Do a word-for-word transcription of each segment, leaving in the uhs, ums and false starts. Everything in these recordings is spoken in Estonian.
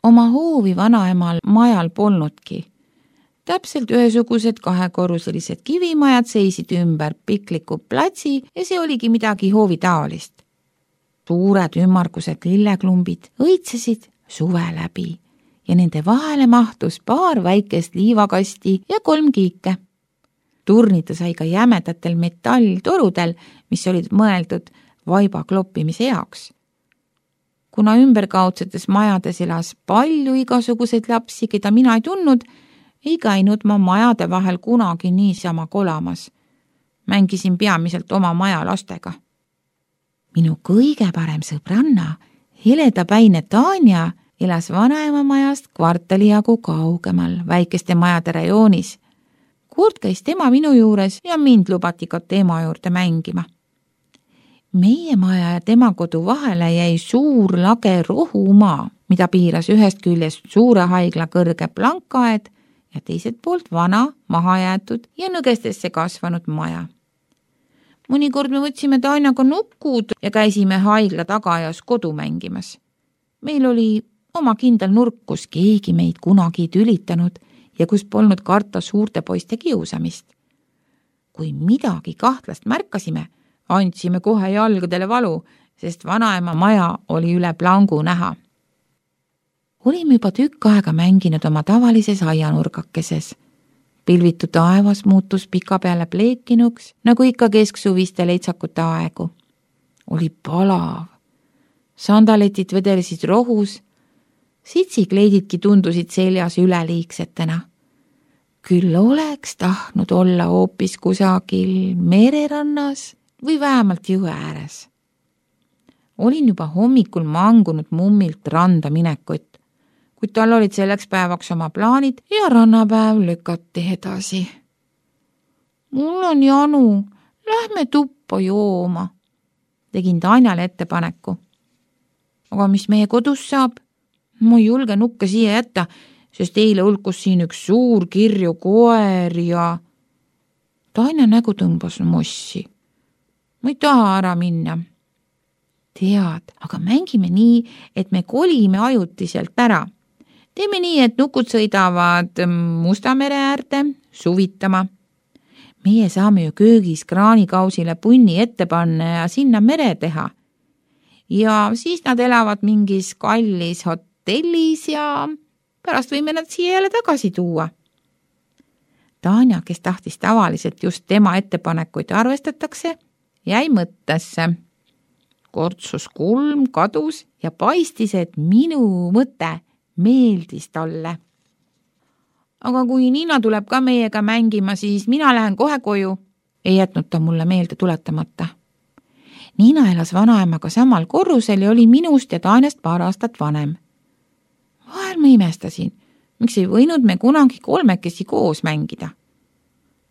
oma hoovi vanaemal majal polnudki. Täpselt ühesugused kahekorruselised kivimajad seisid ümber pikliku platsi ja see oligi midagi hoovi taolist. Suured ümmargused lilleklumbid õitsesid suve läbi ja nende vahele mahtus paar väikest liivakasti ja kolm kiike. Turnida sai ka jämedatel metalltorudel, mis olid mõeldud vaiba kloppimise jaoks. Kuna ümberkaudsetes majades elas palju igasuguseid lapsi, keda mina ei tundnud, ei käinud ma majade vahel kunagi niisama kolamas. Mängisin peamiselt oma maja lastega. Minu kõige parem sõbranna, heledapäine Tanja, elas vanaema majast kvartali jagu kaugemal väikeste majade rajoonis. Kord käis tema minu juures ja mind lubati ka tema juurde mängima. Meie maja ja tema kodu vahele jäi suur lage rohumaa, mida piiras ühest küljest suure haigla kõrge plankaed ja teiselt poolt vana, mahajäetud ja nõgestesse kasvanud maja. Mõnikord me võtsime Tanjaga nukud ja käisime haigla tagajas kodu mängimas. Meil oli oma kindel nurk, kus keegi meid kunagi ei tülitanud ja kus polnud karta suurte poiste kiusamist. Kui midagi kahtlast märkasime, andsime kohe jalgadele valu, sest vanaema maja oli üle plangu näha. Olime juba tükk aega mänginud oma tavalises aianurgakeses. Pilvitu taevas muutus pika peale pleekinuks, nagu ikka kesksuviste leitsakute aegu. Oli palav. Sandaletid vedelesid rohus, sitsikleididki tundusid seljas üleliigsetena. Küll oleks tahtnud olla hoopis kusagil mererannas või vähemalt jõe ääres. Olin juba hommikul mangunud mummilt randa minekut, kuid tal olid selleks päevaks oma plaanid ja rannapäev lükati edasi. Mul on janu, lähme tuppa jooma, tegin Tanjale ettepaneku. Aga mis meie kodus saab? Ma ei julge nukke siia jätta, sest eile hulkus siin üks suur kirju koer ja... Tanja nägu tõmbas mossi. Ma ei taha ära minna. Tead, aga mängime nii, et me kolime ajutiselt ära. Teeme nii, et nukud sõidavad Musta mere äärde suvitama. Meie saame ju köögis kraanikausile punni ette panna ja sinna mere teha. Ja siis nad elavad mingis kallis hotellis ja pärast võime nad siia jälle tagasi tuua. Tanja, kes tahtis tavaliselt just tema ettepanekuid arvestatakse, jäi mõttesse. Kortsus kulm kadus ja paistis, et minu mõte meeldis talle. Aga kui Niina tuleb ka meiega mängima, siis mina lähen kohe koju. Ei jätnud ta mulle meelde tuletamata. Niina elas vanaemaga samal korrusel ja oli minust ja Tanjast paar aastat vanem. Vahel ma imestasin, miks ei võinud me kunagi kolmekesi koos mängida.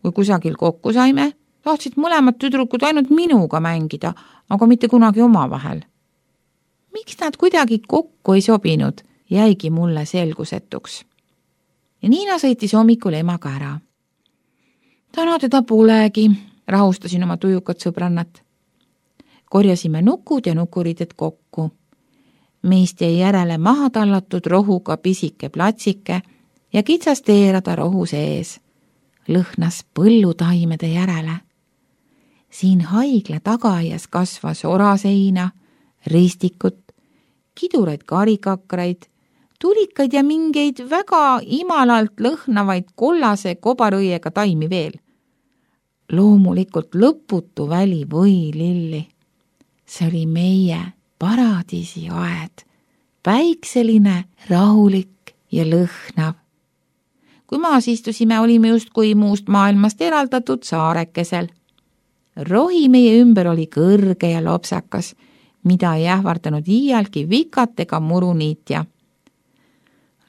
Kui kusagil kokku saime, tahtsid mõlemad tüdrukud ainult minuga mängida, aga mitte kunagi omavahel. Miks nad kuidagi kokku ei sobinud, jäigi mulle selgusetuks. Ja Niina sõitis hommikul emaga ära. Täna teda polegi, rahustasin oma tujukat sõbrannat. Korjasime nukud ja nukuriided kokku. Meist jäi järele maha tallatud rohuga pisike platsike ja kitsas teerada rohu sees. Lõhnas põllutaimede järele. Siin haigla tagaias kasvas oraseina, ristikut, kiduraid karikakraid, tulikaid ja mingeid väga imalalt lõhnavaid kollase kobarõiega taimi veel. Loomulikult lõputu väli võililli. See oli meie paradiisi aed, päikseline, rahulik ja lõhnav. Kui maas istusime, olime justkui muust maailmast eraldatud saarekesel. Rohi meie ümber oli kõrge ja lopsakas, mida ei ähvardanud iialgi vikat ega muruniitja.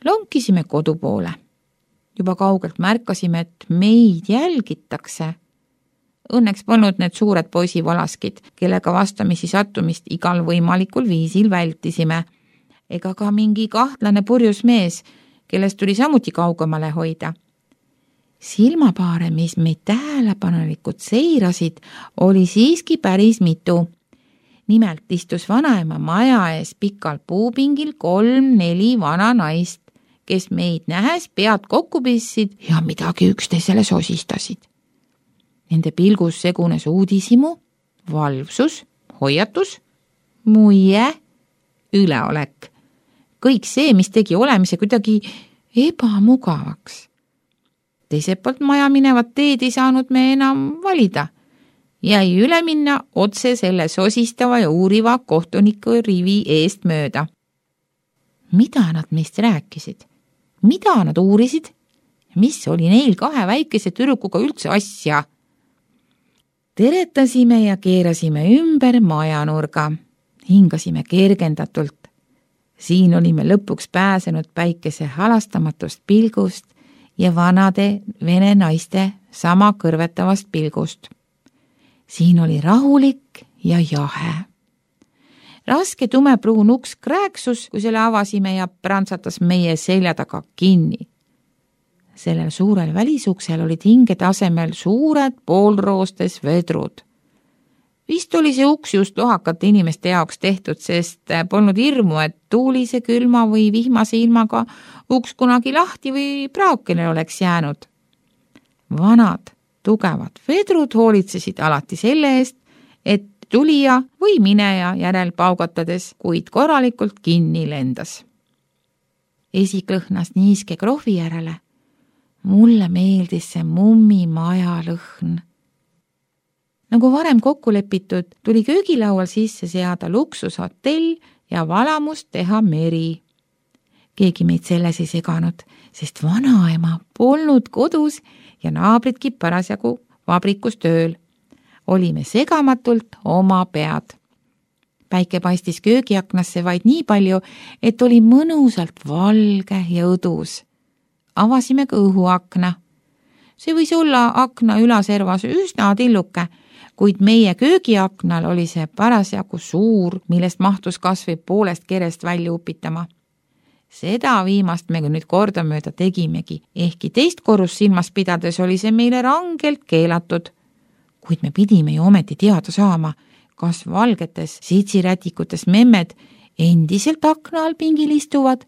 Lonkisime kodu poole. Juba kaugelt märkasime, et meid jälgitakse. Õnneks polnud need suured poisivalaskid, kellega vastamisi sattumist igal võimalikul viisil vältisime, ega ka mingi kahtlane purjus mees, kellest tuli samuti kaugemale hoida. Silmapaare, mis meid tähelepanelikult seirasid, oli siiski päris mitu. nimelt istus vanaema maja ees pikal puupingil kolm-neli vana naist, kes meid nähes pead kokku pissid ja midagi üksteisele sosistasid. Nende pilgus segunes uudishimu, valvsus, hoiatus, muie, üleolek. Kõik see, mis tegi olemise kuidagi ebamugavaks. Teiselt poolt maja minevat teed ei saanud me enam valida. Jäi üle minna otse selle sosistava ja uuriva kohtuniku rivi eest mööda. Mida nad meist rääkisid? Mida nad uurisid? Mis oli neil kahe väikese tüdrukuga üldse asja? Teretasime ja keerasime ümber majanurga. Hingasime kergendatult. Siin olime lõpuks pääsenud päikese halastamatust pilgust ja vanade vene naiste sama kõrvetavast pilgust. Siin oli rahulik ja jahe. Raske tumepruun uks krääksus, kui selle avasime ja prantsatas meie selja taga kinni. Sellel suurel välisuksel olid hingede asemel suured poolroostes vedrud. Vist oli see uks just lohakate inimeste jaoks tehtud, sest polnud hirmu, et tuulise, külma või vihmase ilmaga uks kunagi lahti või praokene oleks jäänud. Vanad, tugevad vedrud hoolitsesid alati selle eest, et tulija või mineja järel paugatades, kuid korralikult kinni lendas. Esik lõhnas niiske krohvi järele. Mulle meeldis see mummi maja lõhn. Nagu varem kokku lepitud, tuli köögilaual sisse seada luksushotell ja valamust teha meri. Keegi meid selles ei seganud, sest vanaema polnud kodus ja naabridki parasjagu vabrikus tööl. Olime segamatult oma pead. Päike paistis köögiaknasse vaid nii palju, et oli mõnusalt valge ja õdus. Avasime ka õhuakna. See võis olla akna ülaservas üsna tilluke, kuid meie köögiaknal oli see parasjagu suur, millest mahtus kas või poolest kerest välja upitama. Seda viimast me nüüd kordamööda tegimegi, ehkki teist korrust silmas pidades oli see meile rangelt keelatud. Kuid me pidime ju ometi teada saama, kas valgetes sitsirätikutes memmed endiselt akna all pingil istuvad.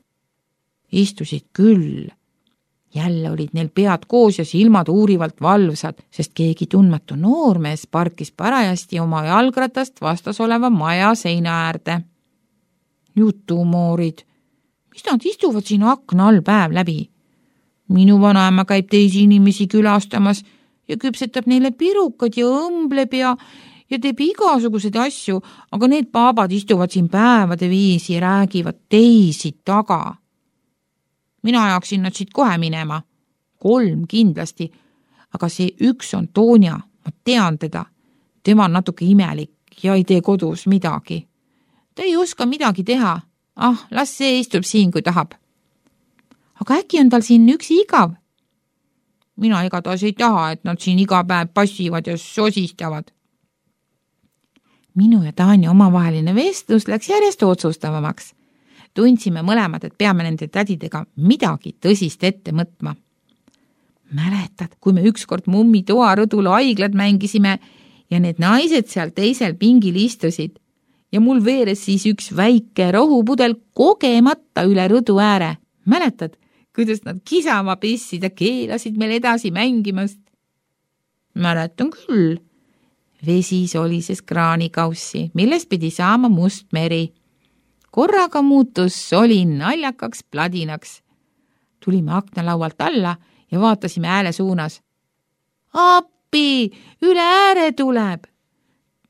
Istusid küll. Jälle olid neil pead koos ja silmad uurivalt valvsad, sest keegi tundmatu noormees parkis parajasti oma jalgratast vastas oleva maja seina äärde. Jutumoorid, mis nad istuvad siin akna all päev läbi? Minu vanaema käib teisi inimesi külastamas ja küpsetab neile pirukad ja õmbleb ja, ja teeb igasuguseid asju, aga need paabad istuvad siin päevade viisi ja räägivad teisi taga. Mina ajaksin nad siit kohe minema. Kolm kindlasti, aga see üks on Toonja, ma tean teda. Tema on natuke imelik ja ei tee kodus midagi. Ta ei oska midagi teha. Ah, las see istub siin, kui tahab. Aga äkki on tal siin üks igav? Mina igatahes ei taha, et nad siin iga päev passivad ja sosistavad. Minu ja Tanja omavaheline vestlus läks järjest otsustavamaks. Tundsime mõlemad, et peame nende tädidega midagi tõsist ette mõtma. Mäletad, kui me ükskord mummi toarõdul haiglad mängisime ja need naised seal teisel pingil istusid ja mul veeres siis üks väike rohupudel kogemata üle rõdu ääre. Mäletad, kuidas nad kisama pissid ja keelasid meil edasi mängimast? Mäletan küll. Vesi solises kraanikaussi, millest pidi saama must meri. Korraga muutus soli naljakaks pladinaks. Tulime aknalaualt alla ja vaatasime ääle suunas. Appi, üle ääre tuleb!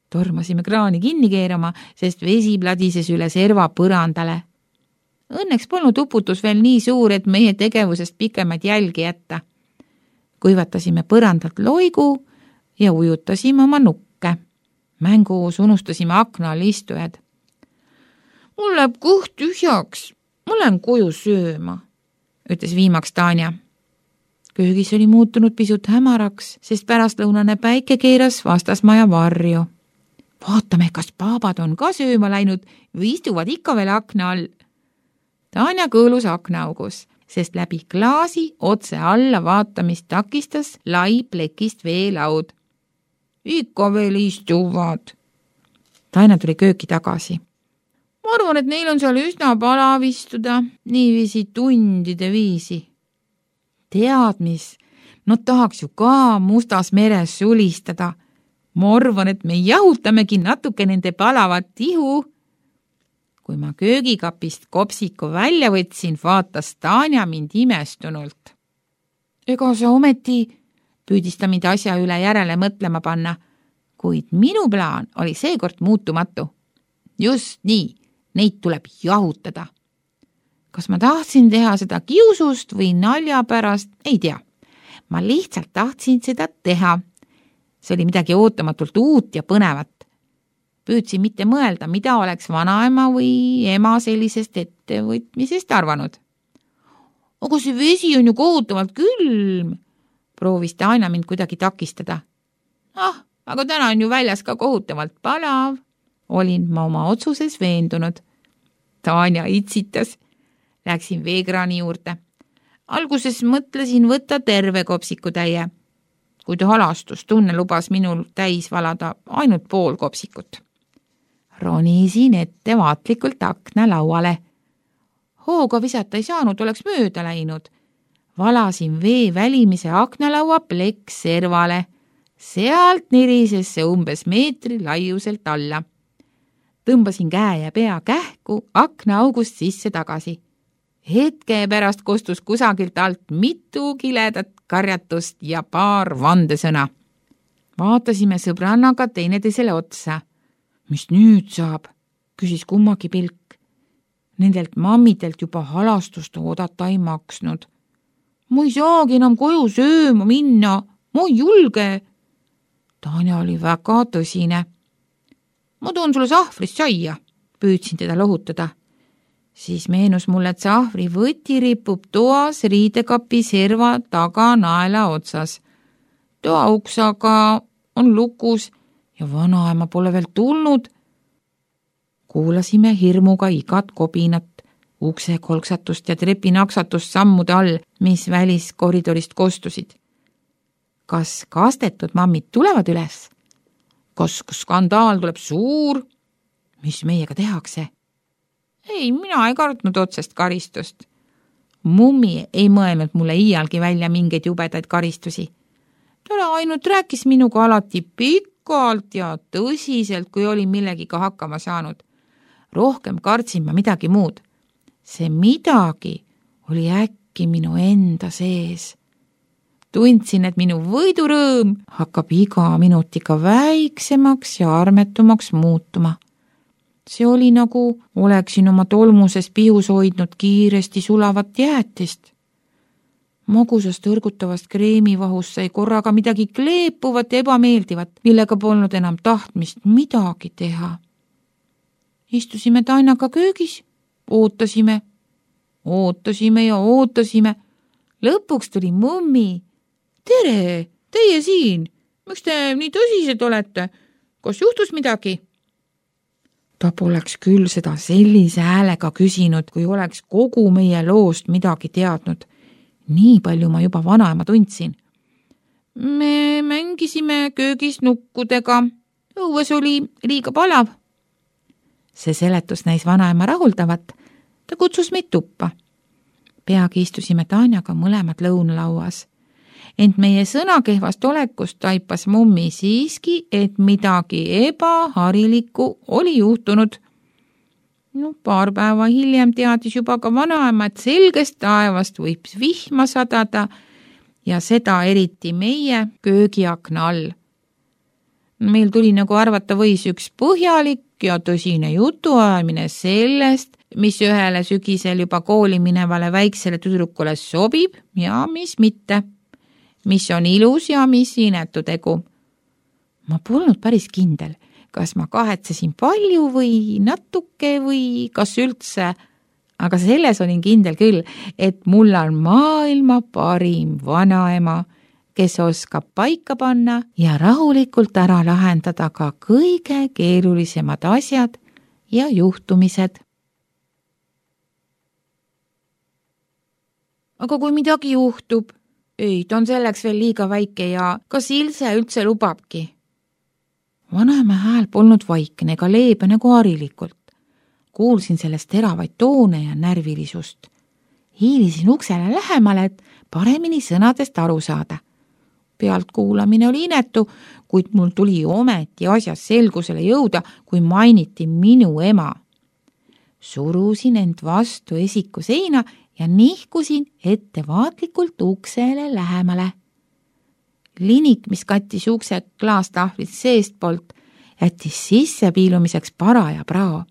Tormasime kraani kinni keerama, sest vesi pladises üle serva põrandale. Õnneks polnud uputus veel nii suur, et meie tegevusest pikemaid jälgi jätta. Kuivatasime põrandalt loigu ja ujutasime oma nukke. Mänguus unustasime akna all istujad. Mul läheb kõht tühjaks, ma lähen koju sööma, ütles viimaks Tanja. Köögis oli muutunud pisut hämaraks, sest pärastlõunane päike keeras vastasmaja varju. Vaatame, kas paabad on ka sööma läinud või istuvad ikka veel akna all. Tanja kõõlus aknaaugus, sest läbi klaasi otse alla vaatamist takistas lai plekist veelaud. Ikka veel istuvad. Taina tuli kööki tagasi. Ma arvan, et neil on seal üsna palav istuda, niiviisi tundide viisi. Tead mis, nad tahaks ju ka Mustas meres sulistada. Ma arvan, et me jahutamegi natuke nende palavat ihu. Kui ma köögikapist kopsiku välja võtsin, vaatas Tanja mind imestunult. Ega sa ometi, püüdis ta mind asja üle järele mõtlema panna, kuid minu plaan oli seekord muutumatu. Just nii, neid tuleb jahutada. Kas ma tahtsin teha seda kiusust või nalja pärast, ei tea. Ma lihtsalt tahtsin seda teha. See oli midagi ootamatult uut ja põnevat. Püüdsin mitte mõelda, mida oleks vanaema või ema sellisest ettevõtmisest arvanud. Aga see vesi on ju kohutavalt külm, proovis Tanja mind kuidagi takistada. Ah, aga täna on ju väljas ka kohutavalt palav. Olin ma oma otsuses veendunud. Tanja itsitas. Läksin veekraani juurde. Alguses mõtlesin võtta terve kopsikutäie, kuid halastustunne lubas minul täis valada ainult pool kopsikut. Ronisin ettevaatlikult akna lauale. Hooga visata ei saanud, oleks mööda läinud. Valasin vee välimise aknalaua pleks servale. Sealt nirises see umbes meetri laiuselt alla. Tõmbasin käe ja pea kähku aknaaugust sisse tagasi. Hetke pärast kostus kusagilt alt mitu kiledat karjatust ja paar vandesõna. Vaatasime sõbrannaga teineteisele otsa. Mis nüüd saab, küsis kummagi pilk. Nendelt mammidelt juba halastust oodata ei maksnud. Ma ei saagi enam koju sööma minna, ma ei julge. Tanja oli väga tõsine. Ma toon sulle sahvrist saia, püüdsin teda lohutada. Siis meenus mulle, et sahvri võti ripub toas riidekapi serva taga naela otsas. Toa uks aga on lukus ja vanaema pole veel tulnud. Kuulasime hirmuga igat kobinat, ukse kolksatust ja trepi naksatust sammude all, mis väliskoridorist kostusid. Kas kastetud mammid tulevad üles? Kas skandaal tuleb suur? Mis meiega tehakse? Ei, mina ei kartnud otsest karistust. Mummi ei mõelnud mulle iialgi välja mingeid jubedaid karistusi. Ta ainult rääkis minuga alati pikalt ja tõsiselt, kui oli millegiga hakkama saanud. Rohkem kartsin ma midagi muud. See midagi oli äkki minu enda sees. Tundsin, et minu võidurõõm hakkab iga minutiga väiksemaks ja armetumaks muutuma. See oli nagu oleksin oma tolmuses pihus hoidnud kiiresti sulavat jäätist. Magusast õrgutavast kreemivahust sai korraga midagi kleepuvat ja ebameeldivat, millega polnud enam tahtmist midagi teha. Istusime Tainaga köögis, ootasime, ootasime ja ootasime. Lõpuks tuli mummi. Tere, teie siin. Miks te nii tõsised olete? Kas juhtus midagi? Ta poleks küll seda sellise häälega küsinud, kui oleks kogu meie loost midagi teadnud. Nii palju ma juba vanaema tundsin. Me mängisime köögis nukkudega. Õues oli liiga palav. See seletus näis vanaema rahuldavat. Ta kutsus meid tuppa. Peagi istusime Tanjaga mõlemad lõunalauas. Ent meie sõnakehvast olekust taipas mummi siiski, et midagi ebaharilikku oli juhtunud. No, paar päeva hiljem teadis juba ka vanaema, et selgest taevast võib vihma sadada ja seda eriti meie köögiakna all. Meil tuli nagu arvata võis üks põhjalik ja tõsine jutuajamine sellest, mis ühele sügisel juba kooli minevale väiksele tüdrukule sobib ja mis mitte. Mis on ilus ja mis inetu tegu. Ma polnud päris kindel, kas ma kahetsesin palju või natuke või kas üldse, aga selles olin kindel küll, et mul on maailma parim vanaema, kes oskab paika panna ja rahulikult ära lahendada ka kõige keerulisemad asjad ja juhtumised. Aga kui midagi juhtub, ei, ta on selleks veel liiga väike ja kas Ilse üldse lubabki? Vanaema hääl polnud vaikne ega leebe nagu harilikult. Kuulsin sellest teravaid toone ja närvilisust. Hiilisin uksele lähemale, et paremini sõnadest aru saada. Pealt kuulamine oli inetu, kuid mul tuli ometi asjas selgusele jõuda, kui mainiti minu ema. Surusin end vastu esiku seina ja nihkusin ettevaatlikult uksele lähemale. Linik, mis kattis ukse klaastahvlit seestpoolt, jättis sisse piilumiseks paraja prao.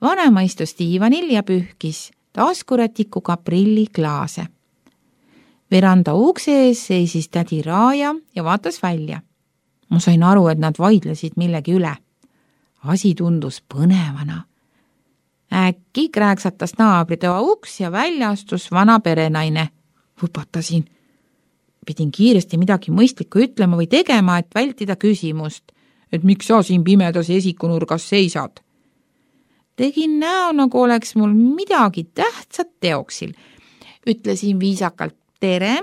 Vanema istus diivanil ja pühkis taskurätikuga prilliklaase. Veranda ukse ees seisis tädi Raaja ja vaatas välja. Ma sain aru, et nad vaidlesid millegi üle. Asi tundus põnevana. Äkki krääksatas naabritoa uks ja välja astus vana perenaine. Võpatasin. Pidin kiiresti midagi mõistlikku ütlema või tegema, et vältida küsimust, et miks sa siin pimedas esikunurgas seisad. Tegin näo, nagu oleks mul midagi tähtsat teoksil. Ütlesin viisakalt tere,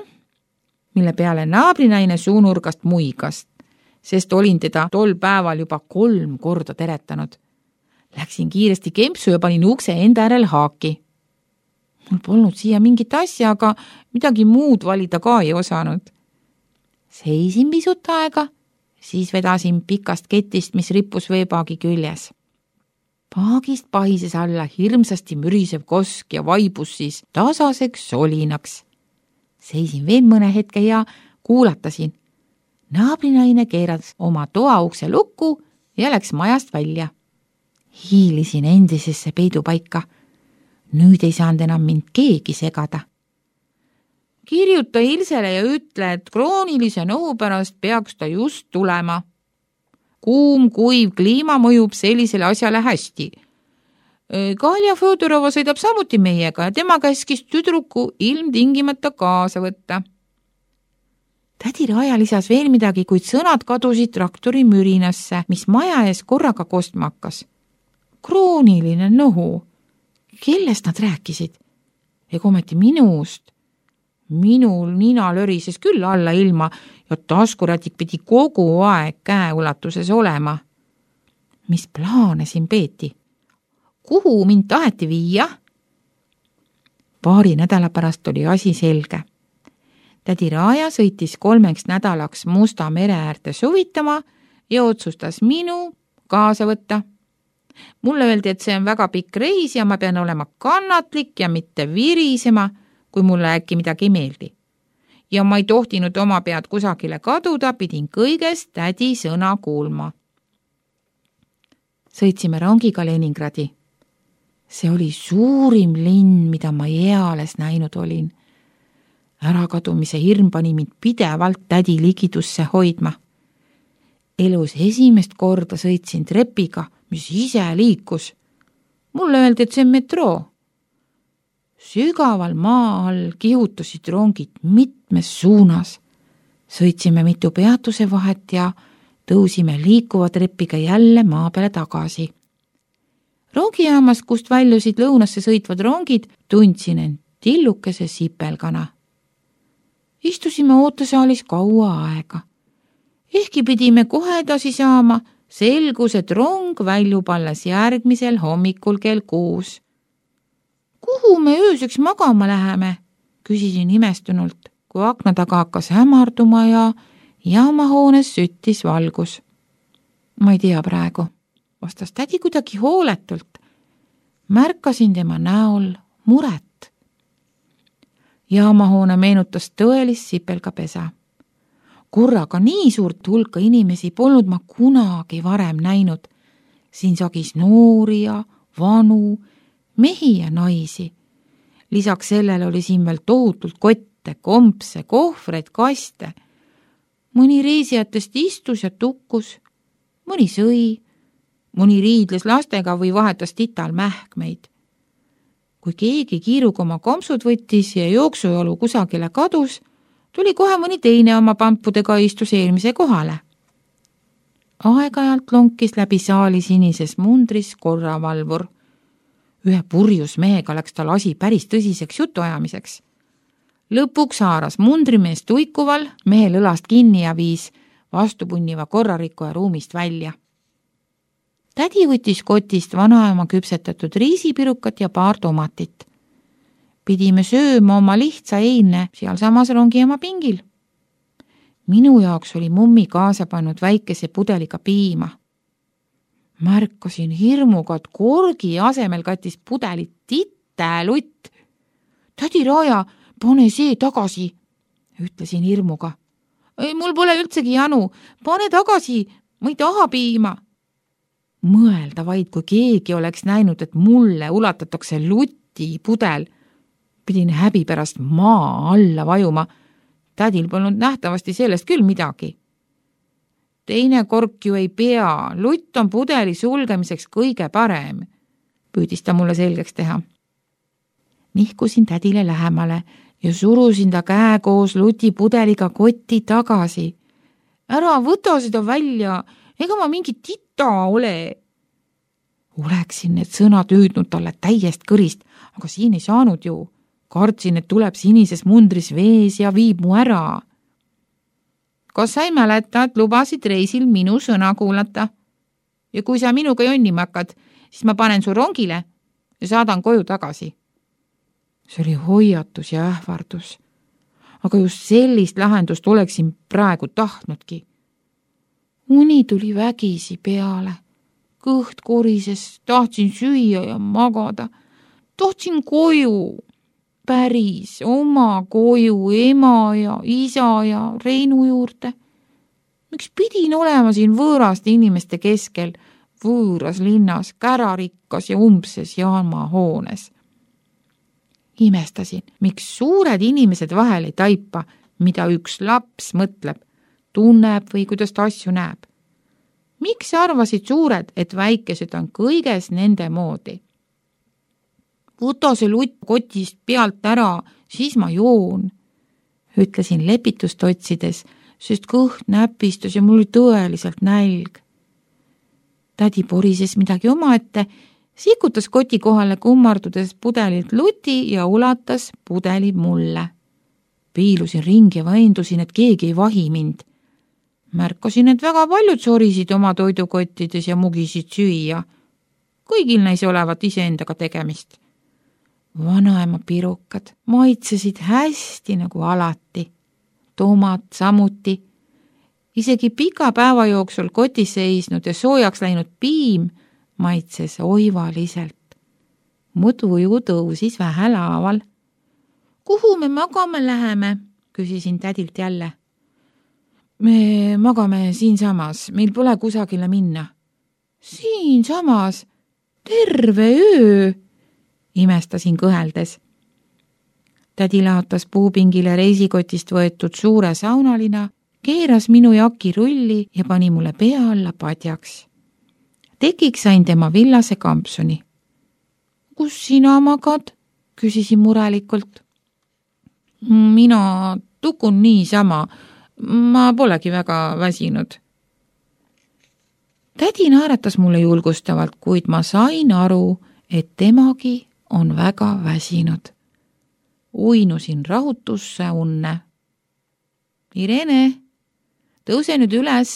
mille peale naabrinaine suunurgast muigast, sest olin teda tol päeval juba kolm korda teretanud. Läksin kiiresti kempsu ja panin ukse enda järel haaki. Mul polnud siia mingit asja, aga midagi muud valida ka ei osanud. Seisin pisut aega, siis vedasin pikast ketist, mis rippus veepaagi küljes. Paagist pahises alla hirmsasti mürisev kosk ja vaibus siis tasaseks solinaks. Seisin veel mõne hetke ja kuulatasin. Naabrinaine keeras oma toa ukse lukku ja läks majast välja. Hiilisin endisesse peidupaika. Nüüd ei saanud enam mind keegi segada. Kirjuta Ilsele ja ütle, et kroonilise nohu pärast peaks ta just tulema. Kuum, kuiv kliima mõjub sellisele asjale hästi. Kalja Fodorova sõidab samuti meiega ja tema käskis tüdruku ilmtingimata kaasa võtta. Tädi Raaja lisas veel midagi, kuid sõnad kadusid traktori mürinasse, mis maja ees korraga kostma hakkas. Krooniline nohu. Kellest nad rääkisid? Ega ometi minust. Minul nina lörises küll alla ilma ja taskurätik pidi kogu aeg käeulatuses olema. Mis plaane siin peeti? Kuhu mind taheti viia? Paari nädala pärast oli asi selge. Tädi Raaja sõitis kolmeks nädalaks Musta mere äärde suvitama ja otsustas minu kaasa võtta. Mulle öeldi, et see on väga pikk reis ja ma pean olema kannatlik ja mitte virisema, kui mulle äkki midagi ei meeldi. Ja ma ei tohtinud oma pead kusagile kaduda, pidin kõigest tädi sõna kuulma. Sõitsime rongiga Leningradi. See oli suurim linn, mida ma eales näinud olin. Ärakadumise hirm pani mind pidevalt tädi ligidusse hoidma. Elus esimest korda sõitsin trepiga, mis ise liikus. Mulle öeldi, et see on metroo. Sügaval maa all kihutasid rongid mitmes suunas. Sõitsime mitu peatuse vahet ja tõusime liikuva trepiga jälle maa peale tagasi. Rongijaamas, kust väljusid lõunasse sõitvad rongid, tundsin end tillukese sipelgana. Istusime ootesaalis kaua aega. Ehkki pidime kohe edasi saama, selgus, et rong väljub alles järgmisel hommikul kell kuus. Kuhu me ööseks magama läheme? Küsisin imestunult, kui akna taga hakkas hämarduma ja jaamahoones süttis valgus. Ma ei tea praegu, vastas tädi kuidagi hooletult. Märkasin tema näol muret. Jaamahoone meenutas tõelist sipelgapesa. Korraga nii suurt hulka inimesi polnud ma kunagi varem näinud. Siin sagis noori ja vanu, mehi ja naisi. Lisaks sellele oli siin veel tohutult kotte, kompse, kohvreid, kaste. Mõni reisijatest istus ja tukkus, mõni sõi, mõni riidles lastega või vahetas tital mähkmeid. Kui keegi kiiruga oma kompsud võttis ja jooksujolu kusagile kadus, tuli kohe mõni teine oma pampudega istus eelmise kohale. Aeg-ajalt lonkis läbi saali sinises mundris korravalvur. Ühe purjus mehega läks tal asi päris tõsiseks jutuajamiseks. Lõpuks haaras mundrimees tuikuval mehel õlast kinni ja viis vastupunniva korrarikkuja ruumist välja. Tädi võttis kotist vanaema küpsetatud riisipirukat ja paar tomatit. Pidime sööma oma lihtsa eine seal samas rongijaama pingil. Minu jaoks oli mummi kaasa pannud väikese pudeliga piima. Märkasin hirmuga, et korgi asemel kattis pudelit titelutt. Tädi Raaja, pane see tagasi, ütlesin hirmuga. Ei, mul pole üldsegi janu, pane tagasi, ma ei taha piima. Mõelda vaid, kui keegi oleks näinud, et mulle ulatatakse luti pudel. Pidin häbi pärast maa alla vajuma. Tädil polnud nähtavasti sellest küll midagi. Teine kork ju ei pea, lutt on pudeli sulgemiseks kõige parem, püüdis ta mulle selgeks teha. Nihkusin tädile lähemale ja surusin ta käe koos luti pudeliga kotti tagasi. Ära võta seda välja, ega ma mingi tita ole. Oleksin need sõnad hüüdnud talle täiest kõrist, aga siin ei saanud ju. Kartsin, et tuleb sinises mundris vees ja viib mu ära. Kas sa ei mäleta, et lubasid reisil minu sõna kuulata? Ja kui sa minuga jonnima hakkad, siis ma panen su rongile ja saadan koju tagasi. See oli hoiatus ja ähvardus. Aga just sellist lahendust oleksin praegu tahtnudki. Uni tuli vägisi peale. Kõht korises, tahtsin süüa ja magada. Tahtsin koju. Päris oma koju ema ja isa ja Reinu juurde. Miks pidin olema siin võõraste inimeste keskel, võõras linnas, kärarikkas ja umbses jaama hoones? Imestasin, miks suured inimesed vahel ei taipa, mida üks laps mõtleb, tunneb või kuidas ta asju näeb. Miks arvasid suured, et väikesed on kõiges nende moodi? Võta see lutt kotist pealt ära, siis ma joon, ütlesin lepitust otsides, sest kõht näpistas ja mul oli tõeliselt nälg. Tädi porises midagi omaette, sikutas koti kohale kummardudes pudelilt luti ja ulatas pudeli mulle. Piilusin ringi ja veendusin, et keegi ei vahi mind. Märkasin, et väga paljud sorisid oma toidukottides ja mugisid süüa. Kõigil neis olevat iseendaga tegemist. Vanaema pirukad maitsesid hästi nagu alati. Tomat samuti. Isegi pika päeva jooksul kotis seisnud ja soojaks läinud piim maitses oivaliselt. Mu tuju tõusis vähelaaval. Kuhu me magama läheme? Küsisin tädilt jälle. Me magame siinsamas, meil pole kusagile minna. Siinsamas? Terve öö? Imestasin kõheldes. Tädi laotas puupingile reisikotist võetud suure saunalina, keeras minu jaki rulli ja pani mulle pea alla padjaks. Tekiks sain tema villase kampsuni. Kus sina magad? Küsisin murelikult. Mina tukun niisama, ma polegi väga väsinud. Tädi naeratas mulle julgustavalt, kuid ma sain aru, et temagi on väga väsinud. Uinusin rahutusse unne. Irene, tõuse nüüd üles,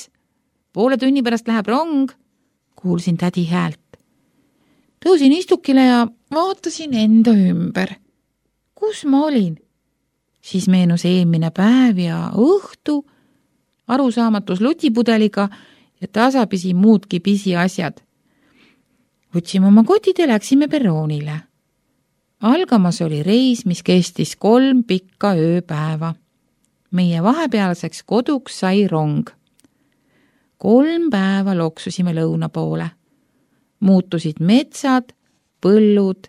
poole tunni pärast läheb rong, kuulsin tädi häält. Tõusin istukile ja vaatasin enda ümber. Kus ma olin? Siis meenus eelmine päev ja õhtu, arusaamatus lutipudeliga ja tasapisi muudki pisiasjad. Võtsime oma kotid ja läksime perroonile. Algamas oli reis, mis kestis kolm pikka ööpäeva. Meie vahepealseks koduks sai rong. Kolm päeva loksusime lõuna poole. Muutusid metsad, põllud,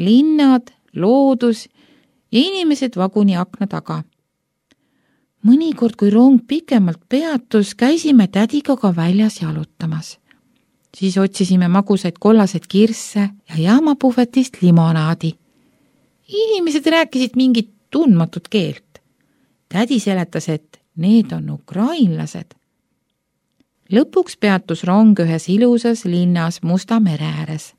linnad, loodus ja inimesed vaguni akna taga. Mõnikord, kui rong pikemalt peatus, käisime tädiga ka väljas jalutamas. Siis otsisime magusaid kollaseid kirsse ja jaamapuhvetist limonaadi. Inimesed rääkisid mingit tundmatut keelt. Tädi seletas, et need on ukrainlased. Lõpuks peatus rong ühes ilusas linnas Musta mere ääres.